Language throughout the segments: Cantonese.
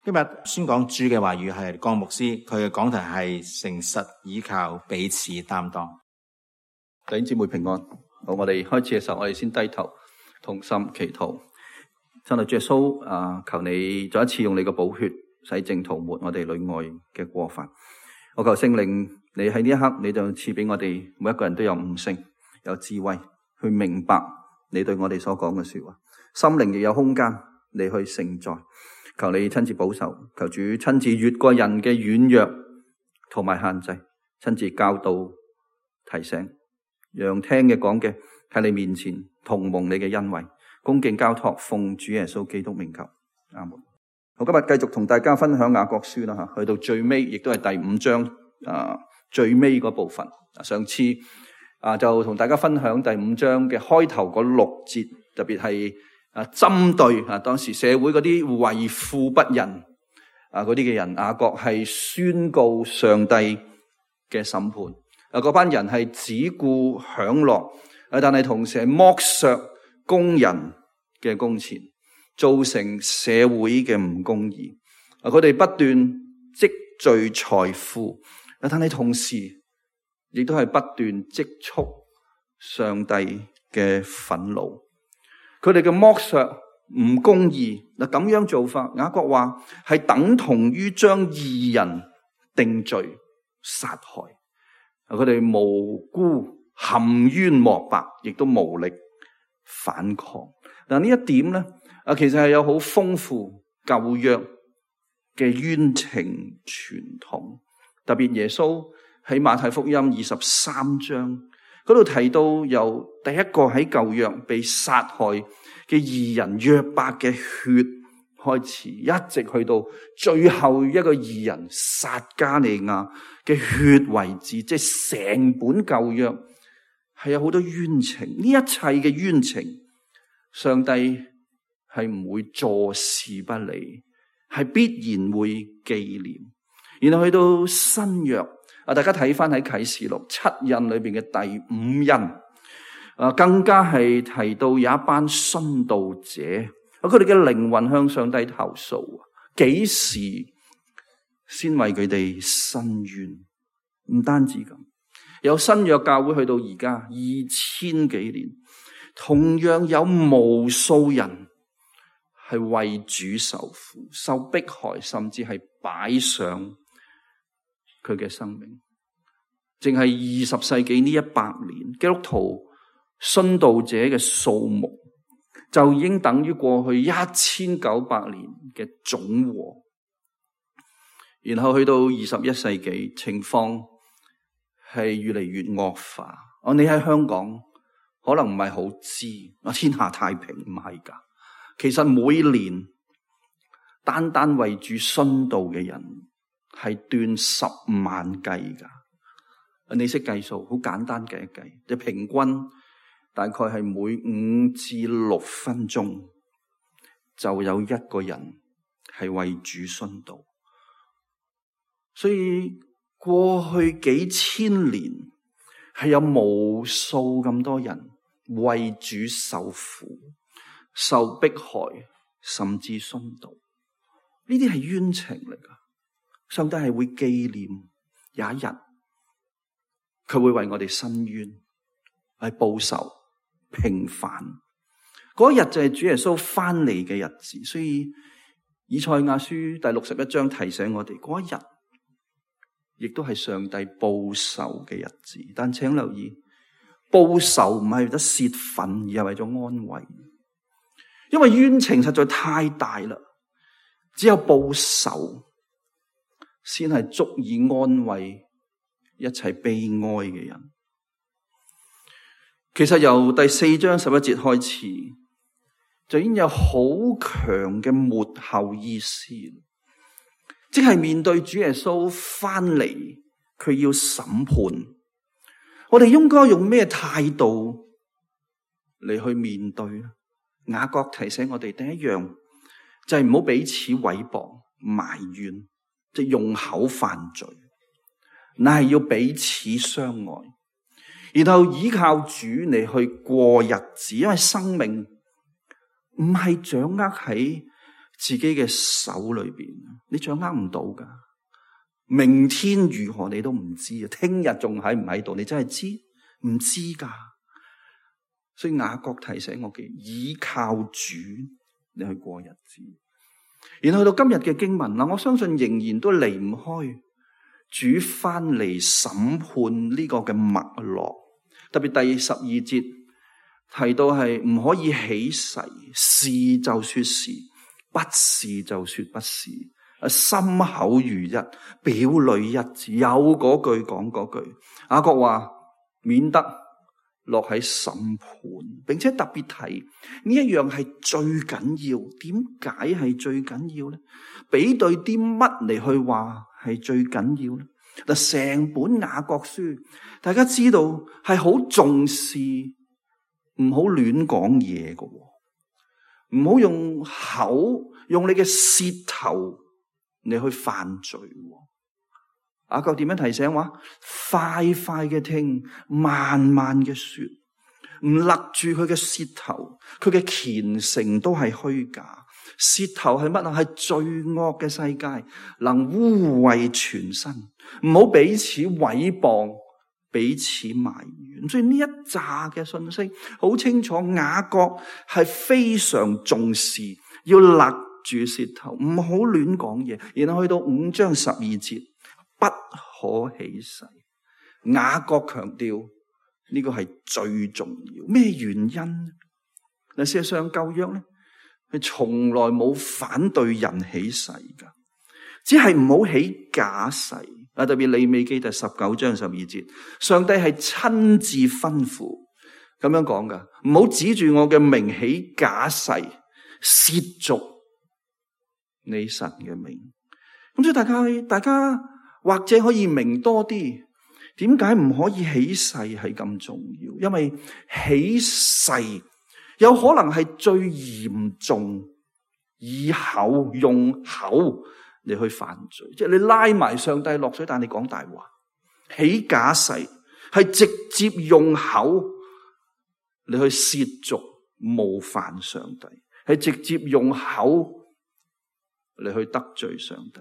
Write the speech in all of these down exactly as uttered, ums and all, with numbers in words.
今日宣講主嘅話語係江牧師，佢嘅講題係誠實倚靠，彼此擔當。弟兄姊妹平安。好，我哋開始嘅時候，我哋先低頭同心祈禱。親愛主耶穌啊，求你再一次用你嘅寶血洗淨塗抹我哋裏外嘅過犯。我求聖靈，你喺呢一刻，你就賜俾我哋每一個人都有悟性、有智慧，去明白你對我哋所講嘅說話。心靈亦有空間，你去承載。求你親自保守，求主親自越過人嘅軟弱同埋限制，親自教導提醒，讓聽嘅講嘅喺你面前同蒙你嘅恩惠，恭敬交託，奉主耶穌基督名求，阿門。我今日繼續同大家分享雅各書啦，吓，去到最尾，亦都係第五章啊最尾嗰部分。上次啊就同大家分享第五章嘅開頭嗰六節，特別係啊，針對啊當時社會嗰啲為富不仁啊嗰啲嘅人，雅各係宣告上帝嘅審判。啊，嗰班人係只顧享樂，啊，但係同時係剝削工人嘅工錢，造成社會嘅唔公義。啊，佢哋不斷積聚財富，啊，但係同時亦都係不斷積蓄上帝嘅憤怒。佢哋嘅剝削唔公義，嗱，咁樣做法，雅各話係等同於將義人定罪殺害。佢哋無辜含冤莫白，亦都無力反抗。嗱，呢一點咧，啊，其實係有好豐富舊約嘅冤情傳統。特別耶穌喺馬太福音二十三章嗰度提到，由第一個喺舊約被殺害嘅義人約伯嘅血開始，一直去到最後一個義人撒迦利亞嘅血為止，即係成本舊約係有好多冤情。呢一切嘅冤情，上帝係唔會坐視不理，係必然會紀念。然後去到新約啊，大家睇翻喺啟示錄七印裏邊嘅第五印啊，更加係提到有一班殉道者，佢哋嘅靈魂向上帝投訴，幾時先為佢哋申冤？唔單止咁，有新約教會去到而家二千幾年，同樣有無數人係為主受苦、受迫害，甚至係擺上佢嘅生命。淨係二十世紀呢一百年，基督徒殉道者嘅數目就已經等於過去一千九百年嘅總和。然後去到二十一世紀，情況係越嚟越惡化。哦，你喺香港可能唔係好知，啊，天下太平唔係噶。其實每年單單為住殉道嘅人係斷十萬計噶。你識計數，好簡單計一計，即平均大概係每五至六分鐘就有一個人係為主殉道。所以過去幾千年係有無數咁多人為主受苦、受迫害，甚至殉道。呢啲係冤情嚟噶，上帝係會紀念有一日，佢會為我哋申冤，係報仇平反。嗰日就係主耶穌翻嚟嘅日子，所以以賽亞書第六十一章提醒我哋，嗰一日亦都係上帝報仇嘅日子。但請留意，報仇唔係為咗泄憤，而係為咗安慰，因為冤情實在太大啦，只有報仇先係足以安慰一切悲哀嘅人。其實由第四章十一節開始，就已經有好強嘅末後意思，即係面對主耶穌翻嚟，佢要審判，我哋應該用咩態度嚟去面對呢？雅各提醒我哋，第一樣就係唔好彼此毀謗埋怨，即係用口犯罪，乃係要彼此相愛，然後依靠主嚟去過日子。因為生命唔係掌握喺自己嘅手裏邊，你掌握唔到噶。明天如何你都唔知啊！聽日仲喺唔喺度？你真係知唔知噶？所以雅各提醒我嘅，倚靠主，你去過日子。然後去到今日嘅經文啦，我相信仍然都離唔開主翻嚟審判呢個嘅脈絡。特別第十二節提到係唔可以起誓，是就說是，不是就說不是。心口如一，表裏一致，有嗰句講嗰句。雅各話免得落喺審判，並且特別提呢一樣係最緊要。點解係最緊要咧？比對啲乜嚟去話係最緊要咧？嗱，成本雅各書，大家知道係好重視，唔好亂講嘢嘅，唔好用口，用你嘅舌頭你去犯罪。雅各點樣提醒話？快快嘅聽，慢慢嘅說，唔勒住佢嘅舌頭，佢嘅虔誠都係虛假。舌頭係乜啊？係罪惡嘅世界，能污穢全身。唔好彼此毀謗，彼此埋怨。所以呢一紮嘅信息好清楚，雅各係非常重視，要勒住舌頭，唔好亂講嘢。然後去到五章十二節，不可起誓。雅各強調呢個係最重要。咩原因？嗱，事實上舊約咧，係從來冇反對人起誓噶，只係唔好起假誓。啊，特別利未記第十九章十二節，上帝係親自吩咐咁樣講噶，唔好指住我嘅名起假誓，褻瀆你神嘅名。咁所以大家，大家或者可以明多啲，點解唔可以起誓係咁重要？因為起誓有可能係最嚴重，以口用口嚟去犯罪，即係你拉埋上帝落水，但你講大話，起假誓係直接用口嚟去褻瀆冒犯上帝，係直接用口嚟去得罪上帝，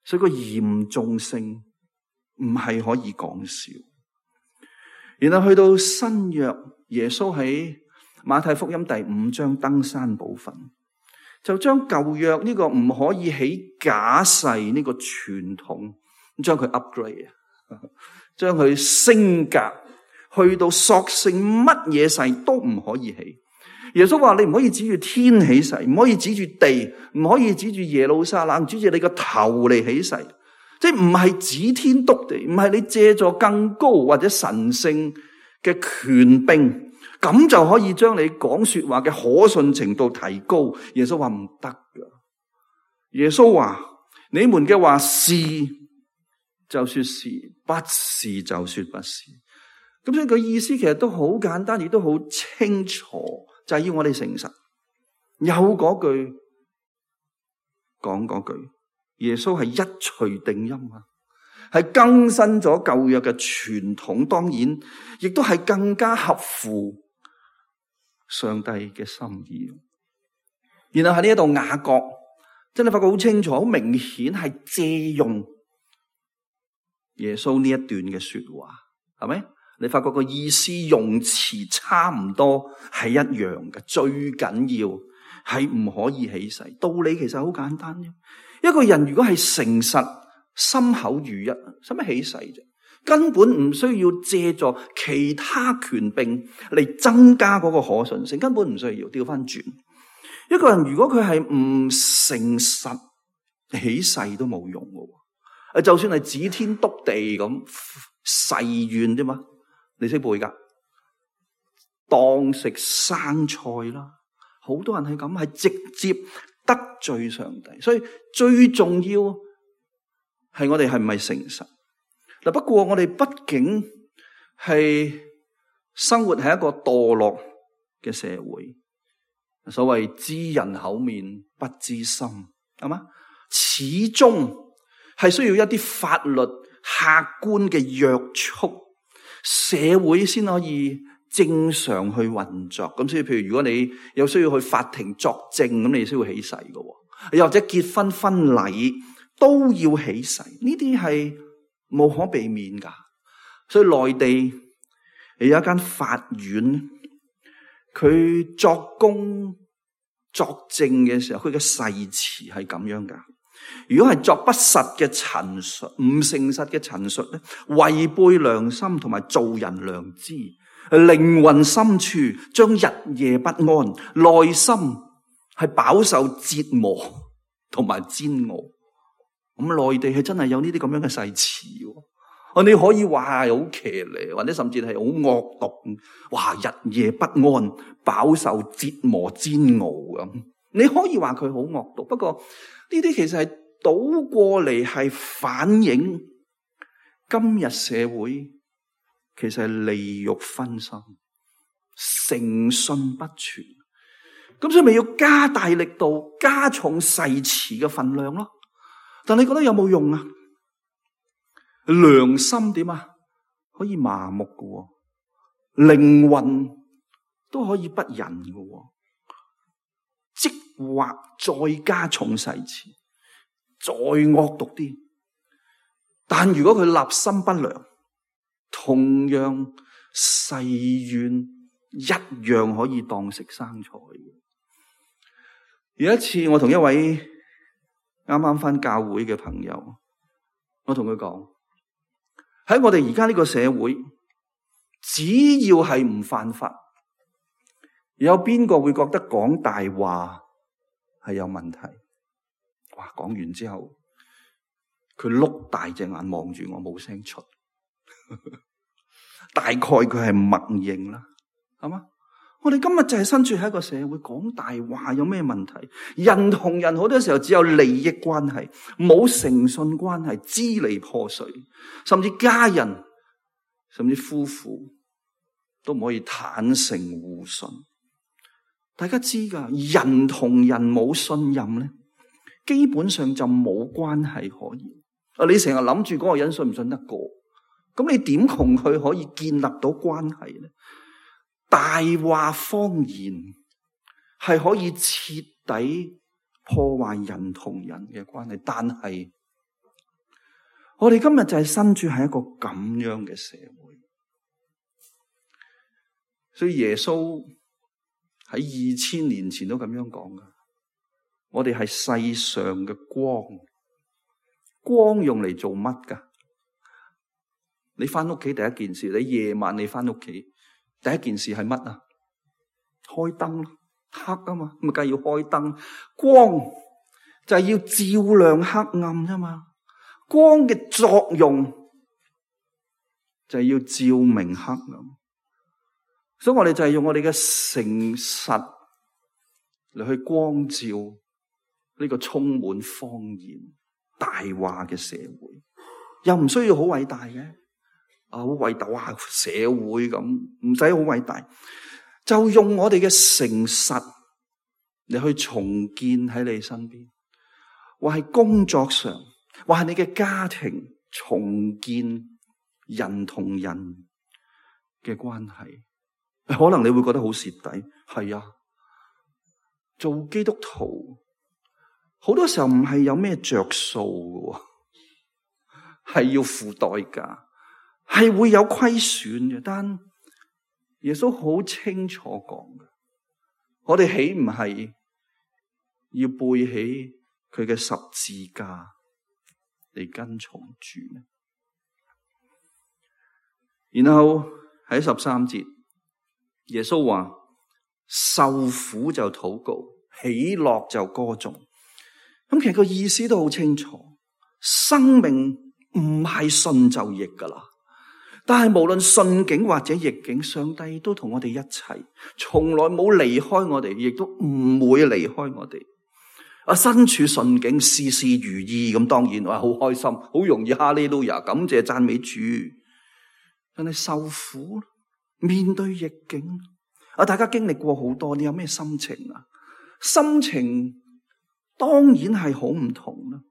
所以個嚴重性唔係可以講笑。然後去到新約，耶穌喺馬太福音第五章登山寶訓，就將舊約呢個唔可以起假誓呢個傳統，將佢 upgrade， 將佢升格，去到索性乜嘢誓都唔可以起。耶穌話：你唔可以指住天起誓，唔可以指住地，唔可以指住耶路撒冷，指住你個頭嚟起誓。即係唔係指天篤地，唔係你借助更高或者神聖嘅權柄，咁就可以將你講說話嘅可信程度提高。耶穌話唔得噶。耶穌話：你們嘅話是就說是，不是就說不是。咁所以佢意思其實都好簡單，亦都好清楚，就係要我哋誠實。有嗰句講嗰句，耶穌係一錘定音啊，係更新咗舊約嘅傳統，當然亦都係更加合乎上帝嘅心意。然後喺呢一度雅各真係發覺好清楚，好明顯係借用耶穌呢一段嘅說話，係咪？你發覺個意思用詞差唔多係一樣嘅，最緊要係唔可以起誓。道理其實好簡單啫。一個人如果係誠實，心口如一，使乜起誓啫？根本唔需要借助其他權柄嚟增加嗰個可信性，根本唔需要。調翻轉，一個人如果佢係唔誠實，起誓都冇用嘅。就算係指天篤地咁誓願啫嘛，你識背噶？當食生菜啦，好多人係咁，係直接得罪上帝。所以最重要係我哋係唔係誠實嗱？不過我哋畢竟係生活喺一個墮落嘅社會，所謂知人口面不知心，係嘛？始終係需要一啲法律客觀嘅約束，社會先可以正常去運作。咁所以譬如如果你有需要去法庭作證，咁你需要起誓嘅。又或者結婚婚禮都要起誓，呢啲係無可避免噶。所以內地有一間法院，佢作供作證嘅時候，佢嘅誓詞係咁樣噶。如果係作不實嘅陳述、唔誠實嘅陳述咧，違背良心同埋做人良知，靈魂深處將日夜不安，內心係飽受折磨同埋煎熬。咁內地係真係有呢啲咁樣嘅誓詞。哦，你可以話係好騎呢，或者甚至係好惡毒，哇！日夜不安，飽受折磨煎熬咁。你可以話佢好惡毒，不過呢啲其實係倒過嚟係反映今日社會其實係利欲熏心、誠信不全。咁所以咪要加大力度、加重誓詞嘅分量咯。但你覺得有冇用啊？良心點啊？可以麻木嘅，靈魂都可以不仁嘅，即或再加重誓詞，再惡毒啲。但如果佢立心不良，同樣誓願一樣可以當食生菜。有一次我同一位啱啱返教會嘅朋友，我同佢講，喺我哋而家呢個社會，只要係唔犯法，有邊個會覺得講大話係有問題？哇！講完之後，佢碌大隻眼望住我，冇聲出。大概佢係默認啦，係嘛？我哋今日就係身處喺一個社會，講大話有咩問題？人同人好多時候只有利益關係，冇誠信關係，支離破碎，甚至家人，甚至夫婦都唔可以坦誠互信。大家知噶，人同人冇信任咧，基本上就冇關係可言。啊，你成日諗住嗰個人信唔信得過，咁你點同佢可以建立到關係咧？大話謊言係可以徹底破壞人同人嘅關係，但係我哋今日就係身處喺一個咁樣嘅社會，所以耶穌喺二千年前都咁樣講噶。我哋係世上嘅光，光用嚟做乜噶？你翻屋企第一件事，你夜晚你翻屋企。第一件事係乜啊？開燈咯，黑啊嘛，咁咪梗係要開燈。光就係要照亮黑暗啫嘛。光嘅作用就係要照明黑暗。所以我哋就係用我哋嘅誠實嚟去光照呢個充滿謊言、大話嘅社會，又唔需要好偉大嘅。啊，好偉大啊！社會咁唔使好偉大，就用我哋嘅誠實嚟去重建喺你身邊，或係工作上，或係你嘅家庭重建人同人嘅關係。可能你會覺得好蝕底，係啊，做基督徒好多時候唔係有咩着數嘅，係要付代價。係會有虧損嘅，但耶穌好清楚講嘅，我哋豈唔係要背起佢嘅十字架嚟跟從主咩？然後喺十三節，耶穌話：受苦就禱告，喜樂就歌頌。咁其實個意思都好清楚，生命唔係順就逆噶啦。但係無論順境或者逆境，上帝都同我哋一齊，從來冇離開我哋，亦都唔會離開我哋。啊，身處順境，事事如意，咁當然話好開心，好容易哈利路亞，感謝讚美主。但係受苦，面對逆境，啊，大家經歷過好多，你有咩心情啊？心情當然係好唔同啦。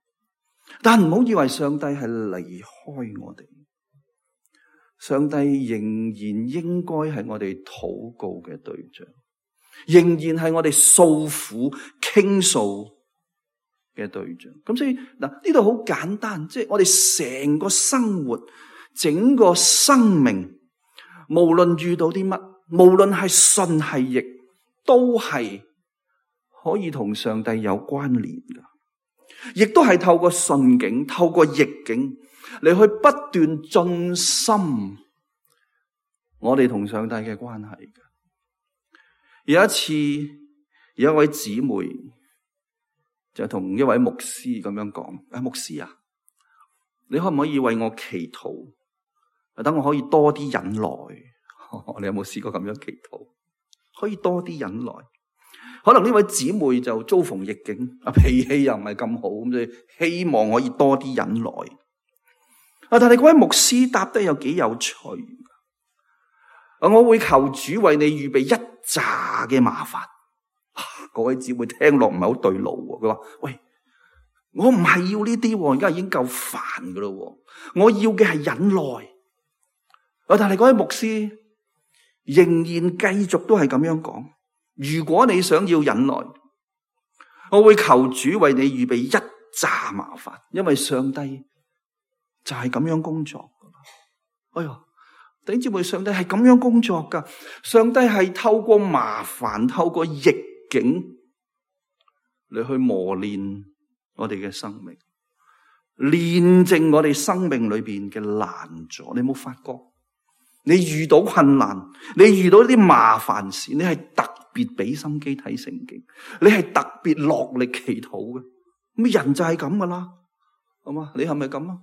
但唔好以為上帝係離開我哋。上帝仍然應該係我哋禱告嘅對象，仍然係我哋訴苦傾訴嘅對象。咁所以嗱，呢度好簡單，即係我哋成個生活、整個生命，無論遇到啲乜，無論係順係逆，都係可以同上帝有關聯噶，亦都係透過順境、透過逆境嚟去不斷進深我哋同上帝嘅關係嘅。有一次，有一位姊妹就同一位牧師咁樣講：誒，牧師啊，你可唔可以為我祈禱，等我可以多啲忍耐？你有冇試過咁樣祈禱？可以多啲忍耐。可能呢位姊妹就遭逢逆境，啊，脾氣又唔係咁好，咁所以希望可以多啲忍耐。啊，但係嗰位牧師答得有幾有趣。啊，我會求主為你預備一紮嘅麻煩。嗰位姊妹聽落唔係好對路，佢話：喂，我唔係要呢啲，而家已經夠煩噶咯。我要嘅係忍耐。啊，但係嗰位牧師仍然繼續都係咁樣講。如果你想要忍耐，我會求主為你預備一紮麻煩，因為上帝就係咁樣工作噶。哎喲，弟兄姊妹，上帝係咁樣工作噶。上帝係透過麻煩，透過逆境嚟去磨練我哋嘅生命，煉淨我哋生命裏邊嘅難阻。你有冇發覺？你遇到困難，你遇到啲麻煩事，你係特別俾心機睇聖經，你係特別落力祈禱嘅。咁人就係咁噶啦，好嘛？你係咪咁啊？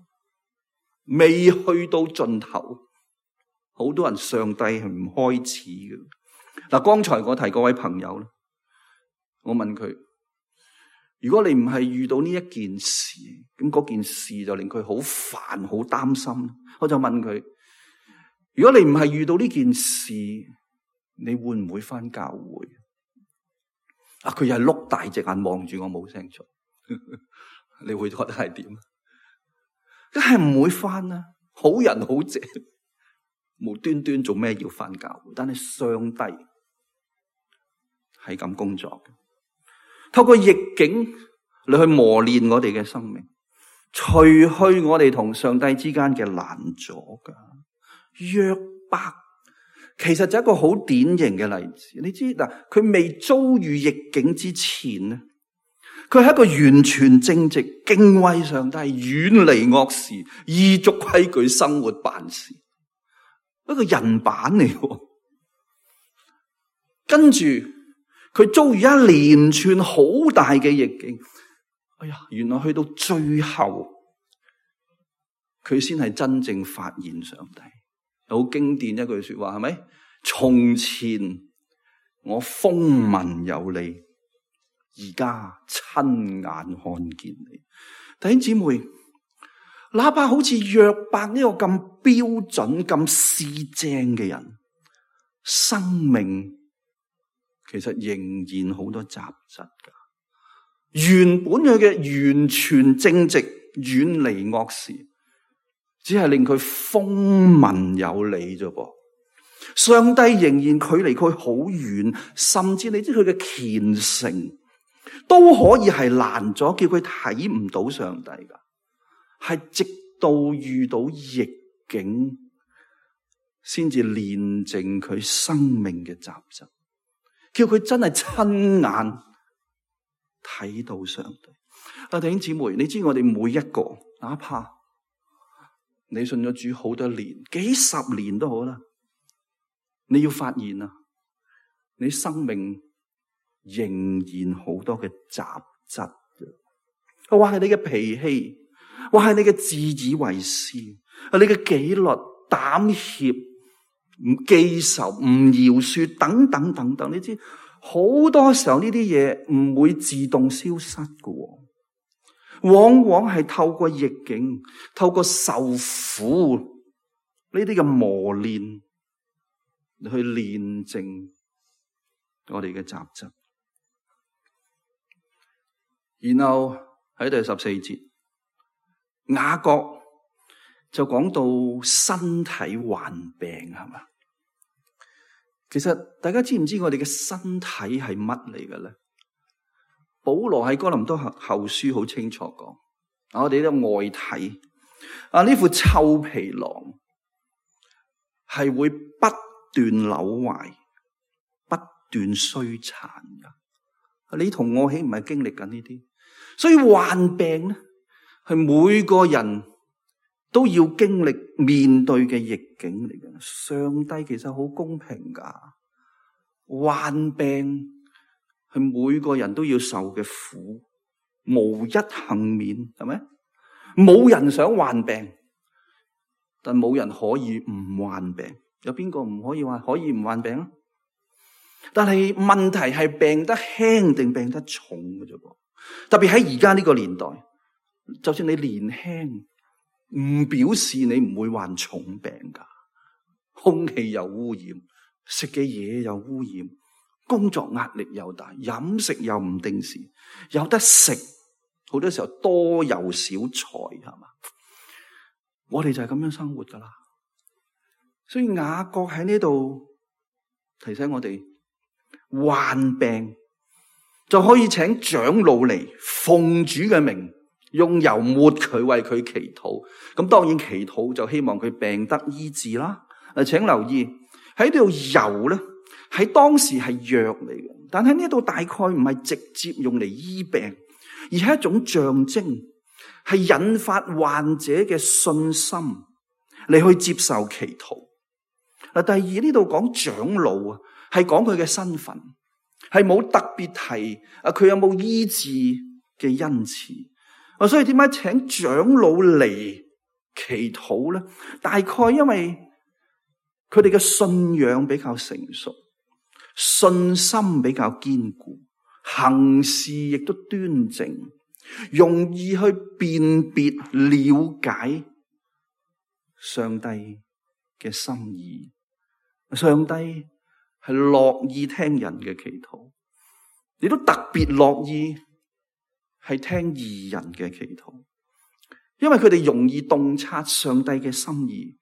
未去到盡頭，好多人上帝係唔開始嘅。嗱，剛才我提嗰位朋友咧，我問佢：如果你唔係遇到呢一件事，咁嗰件事就令佢好煩、好擔心。我就問佢：如果你唔係遇到呢件事，你會唔會返教會？啊，佢又係碌大隻眼望住我，冇聲出。你會覺得係點？梗係唔會返啦，好人好姐，無端端做咩要返教會？但係上帝係咁工作嘅，透過逆境嚟去磨練我哋嘅生命，除去我哋同上帝之間嘅難阻噶。約伯其實就係一個好典型嘅例子。你知嗱，佢未遭遇逆境之前咧，佢係一個完全正直、敬畏上帝、遠離惡事、依足規矩生活辦事，一個人版嚟嘅。跟住佢遭遇一連串好大嘅逆境，哎呀，原來去到最後，佢先係真正發現上帝。好經典一句說話，係咪？從前我風聞有你，而家親眼看見你。弟兄姊妹，哪怕好似約伯呢個咁標準、咁四正嘅人，生命其實仍然好多雜質噶。原本佢嘅完全正直、遠離惡事，只係令佢風聞有你啫噃。上帝仍然距離佢好遠，甚至你知佢嘅虔誠都可以係攔咗，叫佢睇唔到上帝噶。係直到遇到逆境，先至煉淨佢生命嘅雜質，叫佢真係親眼睇到上帝。啊，弟兄姊妹，你知我哋每一個，哪怕你信咗主好多年，幾十年都好啦，你要發現啊，你生命仍然好多嘅雜質，或係你嘅脾氣，或係你嘅自以為是，你嘅紀律、膽怯、唔記仇、唔饒恕等等等等，你知好多時候呢啲嘢唔會自動消失嘅，往往係透過逆境、透過受苦呢啲嘅磨練去煉淨我哋嘅雜質。然後喺第十四節，雅各就講到身體患病，係嘛？其實大家知唔知我哋嘅身體係乜嚟嘅咧？保羅喺哥林多後後書好清楚講，我哋呢個外體啊，呢副臭皮囊係會不斷朽壞、不斷衰殘噶。你同我豈唔係經歷緊呢啲？所以患病咧，係每個人都要經歷面對嘅逆境嚟嘅。上帝其實好公平噶，患病係每個人都要受嘅苦，無一幸免，係咪？冇人想患病，但冇人可以唔患病。有邊個唔可以話可以唔患病啊？但係問題係病得輕定病得重嘅啫噃。特別喺而家呢個年代，就算你年輕，唔表示你唔會患重病噶。空氣又污染，食嘅嘢又污染，工作壓力又大，飲食又唔定時，有得食好多時候多油少菜，係嘛？我哋就係咁樣生活噶啦。所以雅各喺呢度提醒我哋，患病就可以請長老嚟奉主嘅名，用油抹佢，為佢祈禱。咁當然祈禱就希望佢病得醫治啦。誒，請留意喺呢度油咧，喺當時係藥嚟嘅，但喺呢度大概唔係直接用嚟醫病，而係一種象徵，係引發患者嘅信心嚟去接受祈禱。嗱，第二呢度講長老啊，係講佢嘅身份，係冇特別提啊佢有冇醫治嘅恩賜啊，所以點解請長老嚟祈禱咧？大概因為佢哋嘅信仰比較成熟，信心比較堅固，行事亦都端正，容易去辨別了解上帝嘅心意。上帝係樂意聽人嘅祈禱，亦都特別樂意係聽義人嘅祈禱，因為佢哋容易洞察上帝嘅心意，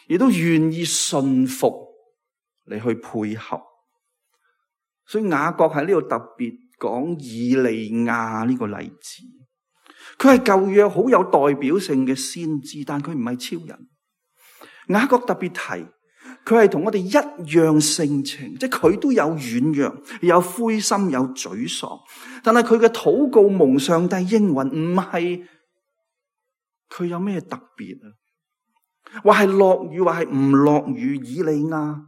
亦都願意信服嚟去配合。所以雅各喺呢度特別講以利亞呢個例子，佢係舊約好有代表性嘅先知，但佢唔係超人。雅各特別提佢係同我哋一樣性情，即係佢都有軟弱，有灰心，有沮喪，但係佢嘅禱告蒙上帝應允，唔係佢有咩特別啊？話係落雨，話係唔落雨，以利亞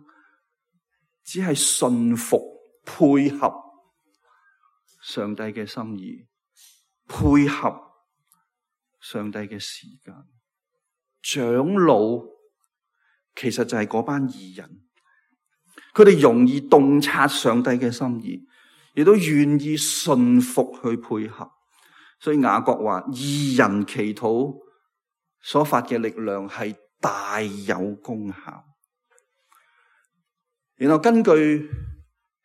只係順服配合上帝嘅心意，配合上帝嘅時間。長老其實就係嗰班義人，佢哋容易洞察上帝嘅心意，亦都願意順服去配合。所以雅各話，義人祈禱所發嘅力量係大有功效。然後根據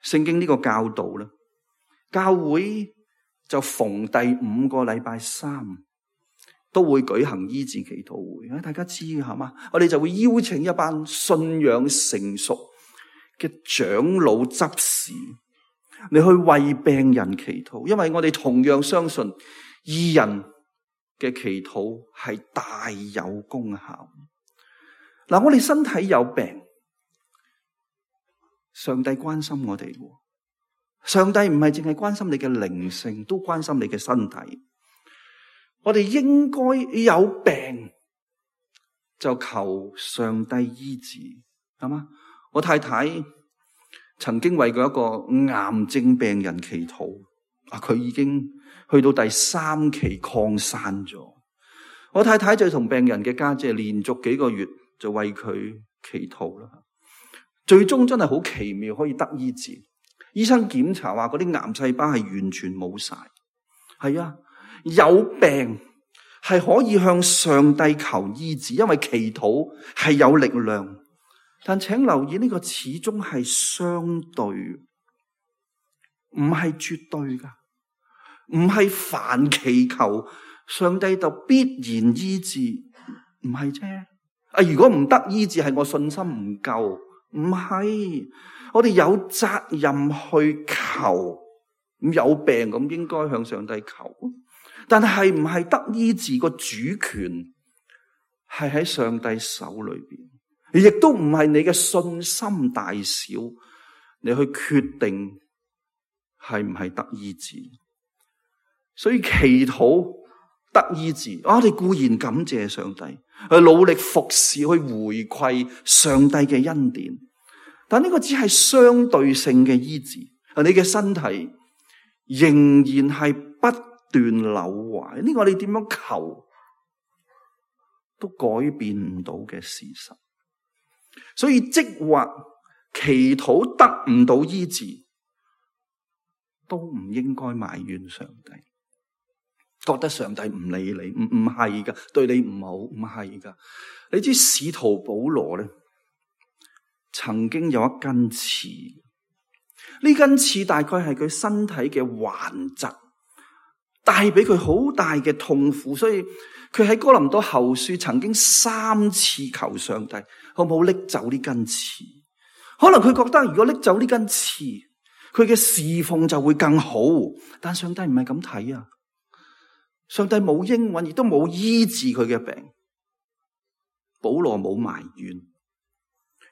聖經呢個教導咧，教會就逢第五個禮拜三都會舉行醫治祈禱會，大家知嘅係嘛？我哋就會邀請一班信仰成熟嘅長老執事，你去為病人祈禱，因為我哋同樣相信義人嘅祈禱係大有功效。嗱，我哋身體有病，上帝關心我哋。上帝唔係淨係關心你嘅靈性，都關心你嘅身體。我哋應該有病就求上帝醫治，係嘛？我太太曾經為過一個癌症病人祈禱，啊，佢已經去到第三期擴散咗。我太太就同病人嘅家姐連續幾個月就為佢祈禱啦，最終真係好奇妙，可以得醫治。醫生檢查話嗰啲癌細胞係完全冇晒。係啊，有病係可以向上帝求醫治，因為祈禱係有力量。但請留意，呢個始終係相對，唔係絕對噶，唔係凡祈求上帝就必然醫治，唔係啫。啊，如果唔得醫治，係我信心唔夠，唔係。我哋有責任去求，咁有病咁應該向上帝求，但係唔係得醫治個主權係喺上帝手裏邊，亦都唔係你嘅信心大小，你去決定係唔係得醫治。所以祈禱得醫治，我哋固然感謝上帝，去努力服侍，去回饋上帝嘅恩典。但呢個只係相對性嘅醫治，你嘅身體仍然係不斷扭壞，呢個你點樣求都改變唔到嘅事實。所以即或祈禱得唔到醫治，都唔應該埋怨上帝，覺得上帝唔理你，唔唔係噶，對你唔好，唔係噶。你知使徒保羅咧，曾經有一根刺，呢根刺大概係佢身體嘅頑疾，帶俾佢好大嘅痛苦，所以佢喺哥林多後書曾經三次求上帝，可唔可以拎走呢根刺？可能佢覺得如果拎走呢根刺，佢嘅侍奉就會更好，但上帝唔係咁睇啊！上帝冇應允，亦都冇醫治佢嘅病。保羅冇埋怨，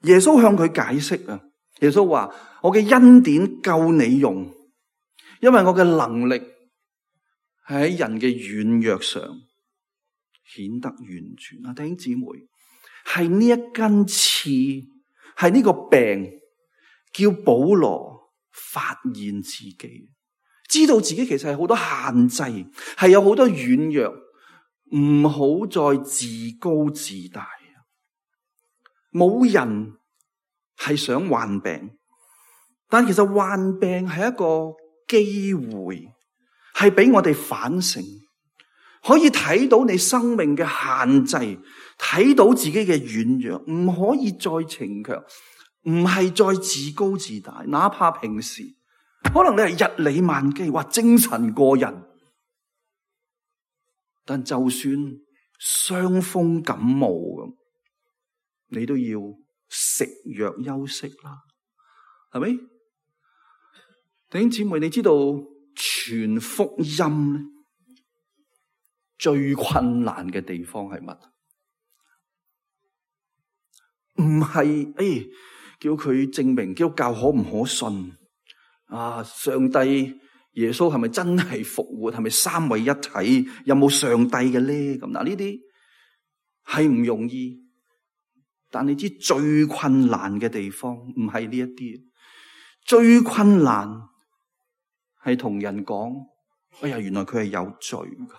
耶穌向佢解釋啊！耶穌話：我嘅恩典夠你用，因為我嘅能力係喺人嘅軟弱上顯得完全啊！弟兄姊妹，係呢一根刺，係呢個病，叫保羅發現自己，知道自己其實係好多限制，係有好多軟弱，唔好再自高自大。冇人係想患病，但其實患病係一個機會，係俾我哋反省，可以睇到你生命嘅限制，睇到自己嘅軟弱，唔可以再逞強，唔係再自高自大。哪怕平時可能你係日理萬機，或精神過人，但就算傷風感冒咁，你都要食藥休息啦，係咪？弟兄姊妹，你知道傳福音咧最困難嘅地方係乜？唔係誒，叫佢證明基督教可唔可信啊？上帝耶穌係咪真係復活？係咪三位一體？有冇上帝嘅咧？咁嗱，呢啲係唔容易。但你知最困難嘅地方唔係呢一啲，最困難係同人講，哎呀，原來佢係有罪噶，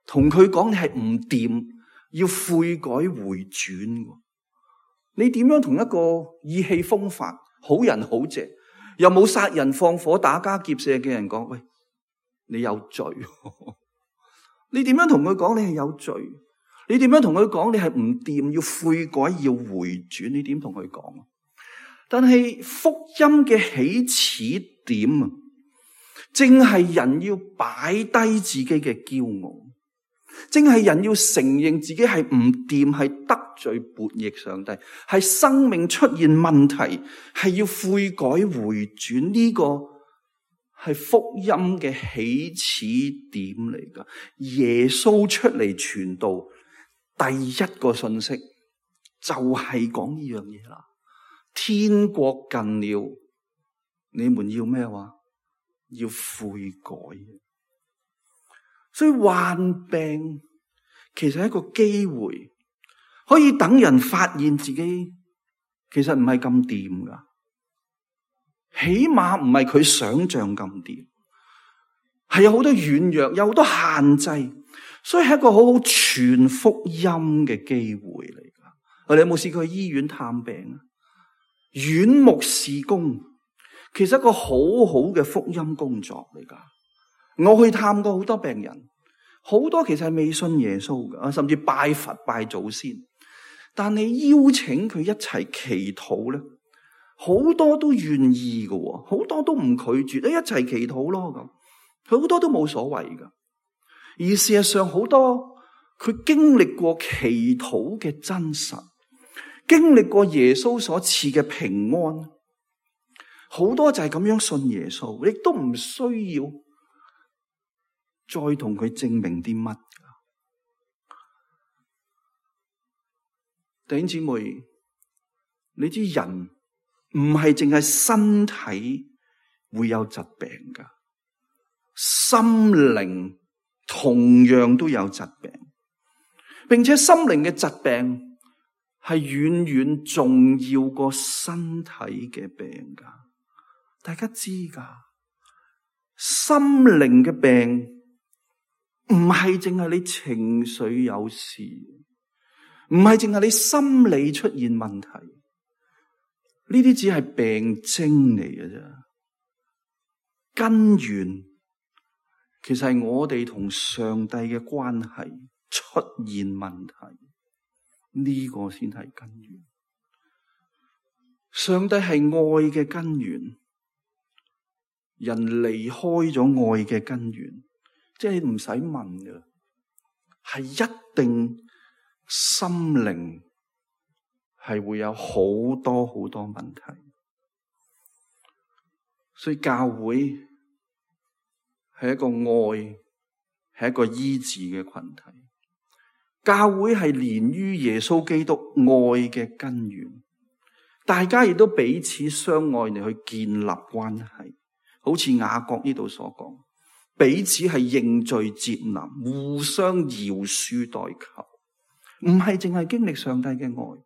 同佢講你係唔掂，要悔改回轉。你點樣同一個意氣風發、好人好姐，又冇殺人放火、打家劫舍嘅人講，喂，你有罪？你點樣同佢講你係有罪？你點樣同佢講你係唔掂，要悔改要回轉？你點同佢講？但係福音嘅起始點啊，正係人要擺低自己嘅驕傲，正係人要承認自己係唔掂，係得罪悖逆上帝，係生命出現問題，係要悔改回轉。呢個係福音嘅起始點嚟噶。耶穌出嚟傳道，第一個信息就係講呢樣嘢啦。天國近了，你們要咩話？要悔改。所以患病其實係一個機會，可以等人發現自己其實唔係咁掂噶，起碼唔係佢想象咁掂，係有好多軟弱，有好多限制。所以係一個好好傳福音嘅機會嚟噶。我哋有冇試過去醫院探病啊？院牧事工其實一個好好嘅福音工作嚟噶。我去探過好多病人，好多其實係未信耶穌噶，甚至拜佛拜祖先。但你邀請佢一齊祈禱咧，好多都願意噶，好多都唔拒絕，一齊祈禱咯咁，好多都冇所謂噶。而事實上，好多佢經歷過祈禱嘅真實，經歷過耶穌所賜嘅平安，好多就係咁樣信耶穌，亦都唔需要再同佢證明啲乜。弟兄姊妹，你知人唔係淨係身體會有疾病噶，心靈同樣都有疾病，並且心靈嘅疾病係遠遠重要過身體嘅病噶。大家知噶，心靈嘅病唔係淨係你情緒有事，唔係淨係你心理出現問題，呢啲只係病徵嚟嘅啫。根源其實係我哋同上帝嘅關係出現問題，呢個先係根源。上帝係愛嘅根源，人離開咗愛嘅根源，即係你唔使問嘅，係一定心靈係會有好多好多問題。所以教會係一個愛，係一個醫治嘅群體。教會係連於耶穌基督愛嘅根源，大家亦都彼此相愛嚟去建立關係。好似雅各呢度所講，彼此係認罪接納，互相饒恕代求，唔係淨係經歷上帝嘅愛，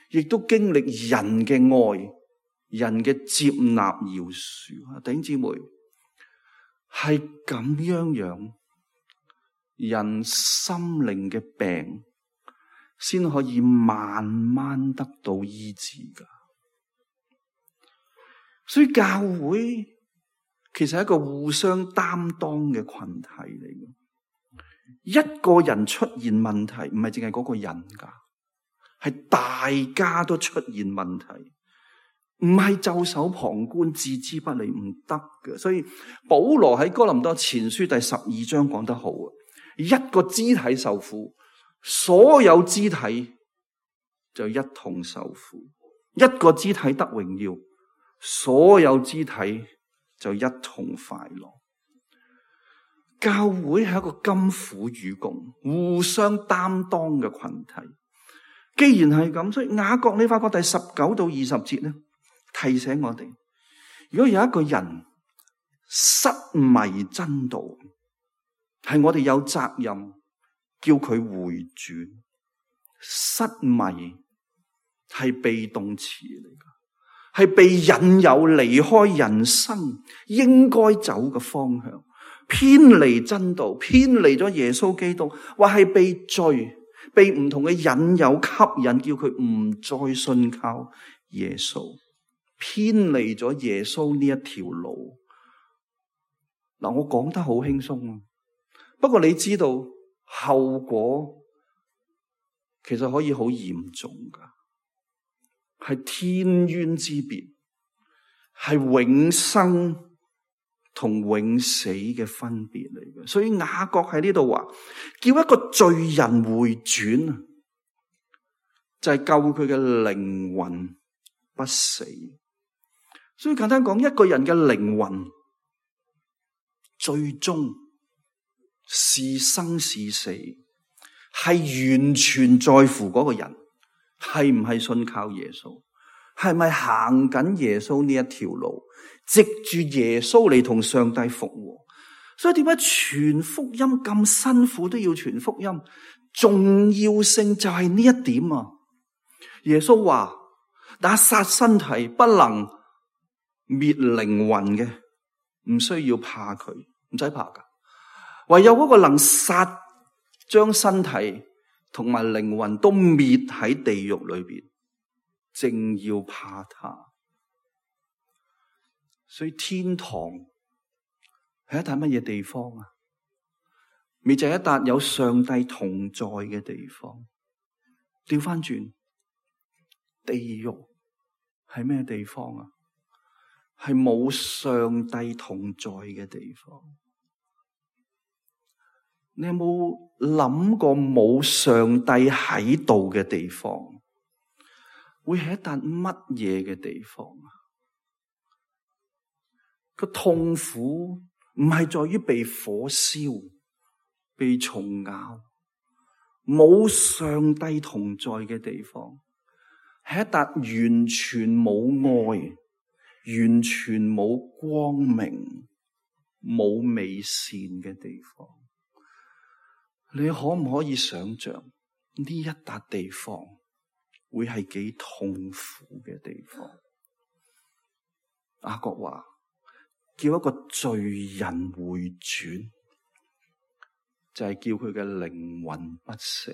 亦都經歷人嘅愛，人嘅接納饒恕。弟兄姊妹，係咁樣樣，人心靈嘅病先可以慢慢得到醫治噶。所以教會其實係一個互相擔當嘅群體嚟嘅。一個人出現問題，唔係淨係嗰個人噶，係大家都出現問題，唔係袖手旁觀、置之不理，唔得嘅。所以保羅喺哥林多前書第十二章講得好啊，一個肢體受苦，所有肢體就一同受苦；一個肢體得榮耀，所有肢體就一同快樂。教會係一個甘苦與共、互相擔當嘅群體。既然係咁，所以雅各你發覺第十九到二十節咧，提醒我哋，如果有一個人失迷真道，係我哋有責任叫佢回轉。失迷係被動詞嚟噶，係被引誘離開人生應該走嘅方向，偏離真道，偏離咗耶穌基督，或係被罪、被唔同嘅引誘吸引，叫佢唔再信靠耶穌，偏離咗耶穌呢一條路。嗱，我講得好輕鬆啊，不過你知道後果其實可以好嚴重噶，係天淵之別，係永生同永死嘅分別嚟嘅。所以雅各喺呢度話，叫一個罪人回轉，就係救佢嘅靈魂不死。所以簡單講，一個人嘅靈魂最終是生是死，係完全在乎嗰個人係唔係信靠耶穌，係咪行緊耶穌呢一條路，藉住耶穌嚟同上帝復和。所以點解傳福音咁辛苦都要傳福音？重要性就係呢一點啊！耶穌話：打殺身體不能滅靈魂嘅，唔需要怕佢，唔使怕噶。唯有嗰個能殺，將身體同埋靈魂都滅喺地獄裏邊，正要怕他。所以天堂係一笪乜嘢地方啊？咪就係一笪有上帝同在嘅地方。調翻轉，地獄係咩地方啊？係冇上帝同在嘅地方。你有冇諗過冇上帝喺度嘅地方會係一笪乜嘢嘅地方啊？個痛苦唔係在於被火燒、被蟲咬，冇上帝同在嘅地方，係一笪完全冇愛、完全冇光明、冇美善嘅地方。你可唔可以想象呢一笪地方會係幾痛苦嘅地方？雅各話叫一個罪人回轉，就係、是、叫佢嘅靈魂不死。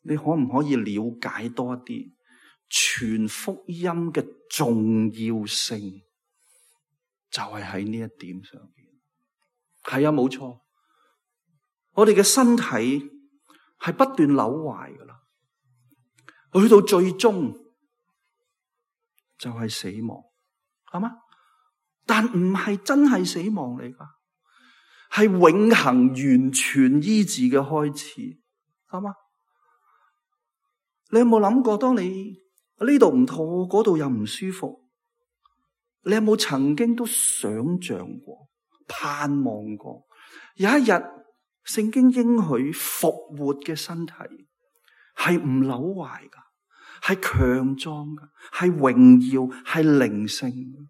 你可唔可以了解多一啲傳福音嘅重要性？就係喺呢一點上邊。係啊，冇錯，我哋嘅身體係不斷扭壞噶啦，去到最終就係死亡，係嘛？但唔係真係死亡嚟噶，係永恆完全醫治嘅開始，係嘛？你有冇諗過，當你呢度唔妥，嗰度又唔舒服，你有冇曾經都想象過、盼望過，有一日聖經應許復活嘅身體係唔朽壞噶，係強壯噶，係榮耀，係靈性。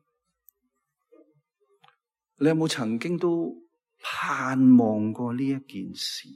你有冇曾經都盼望過呢一件事？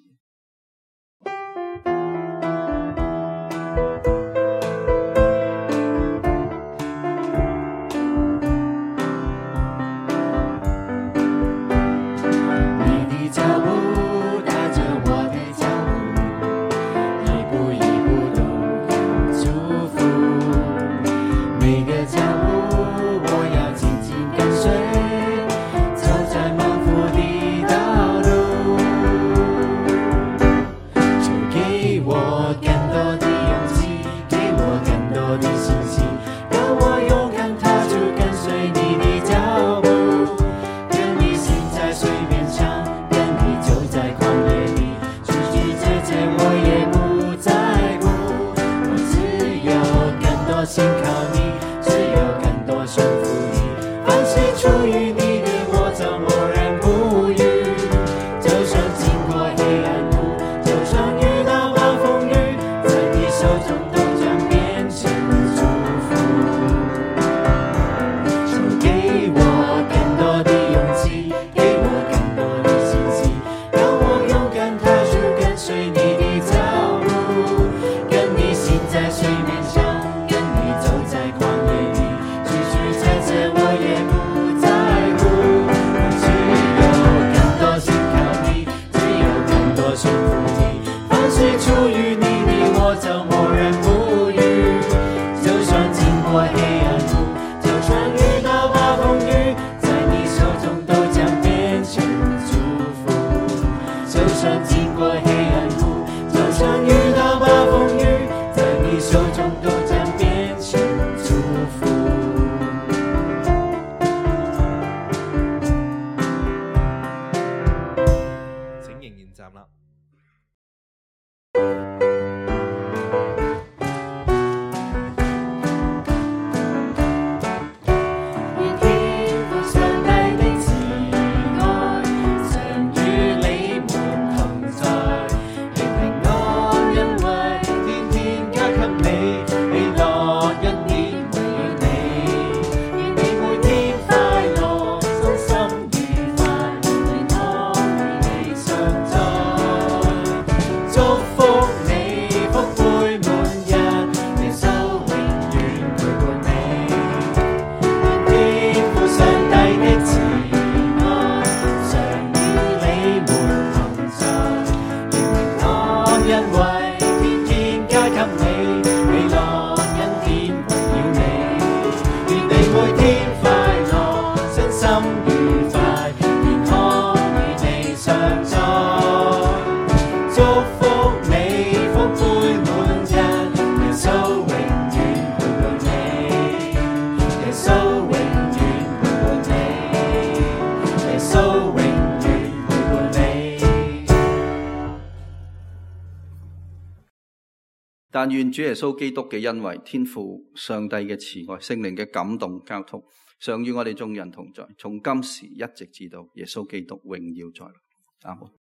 但願主耶穌基督嘅恩惠、天父上帝嘅慈愛、聖靈嘅感動交通，常與我哋眾人同在，從今時一直至到耶穌基督榮耀在來。阿門。